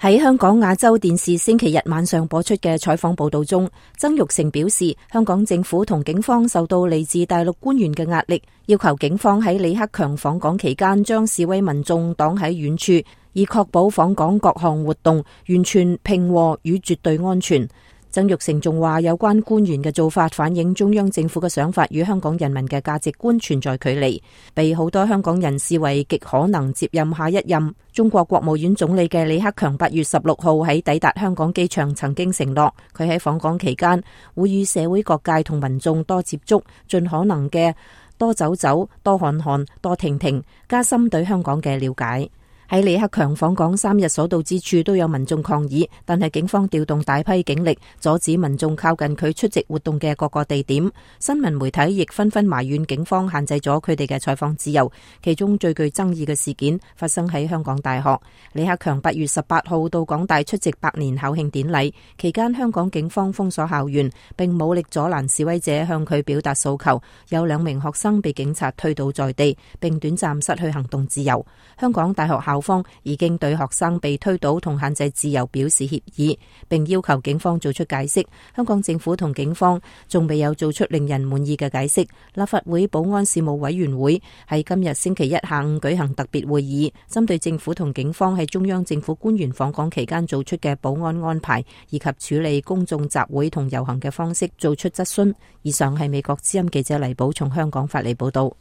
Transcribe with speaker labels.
Speaker 1: 喺香港亞洲電視星期日晚上播出嘅採訪報道中，曾鈺成表示，香港政府同警方受到嚟自大陸官員嘅壓力，要求警方喺李克強訪港期間將示威民眾擋喺遠處，以確保訪港各項活動完全平和與絕對安全。曾鈺成仲話，有關官員嘅做法反映中央政府嘅想法與香港人民嘅價值觀存在距離，被好多香港人視為極可能接任下一任中國國務院總理嘅李克強8月16號喺抵達香港機場曾經承諾，佢喺訪港期間會與社會各界同民眾多接觸，盡可能嘅多走走、多看看、多聽聽，加深對香港嘅了解。喺李克強訪港3日所到之處都有民眾抗議，但係警方調動大批警力阻止民眾靠近佢出席活動嘅各個地點。新聞媒體亦紛紛埋怨警方限制咗佢哋嘅採訪自由。其中最具爭議嘅事件發生喺香港大學。李克強8月18號到港大出席100年校慶典禮，期間香港警方封鎖校園，並武力阻攔示威者向佢表達訴求。有2名學生被警察推倒在地，並短暫失去行動自由。香港大學校方已經對學生被推倒同限制自由表示歉意，並要求警方做出解釋。香港政府同警方仲未有做出令人滿意嘅解釋。立法會保安事務委員會喺今日星期一下午舉行特別會議，針對政府同警方喺中央政府官員訪港期間做出嘅保安安排以及處理公眾集會同遊行嘅方式做出質詢。以上係美國之音記者黎寶從香港發嚟報道。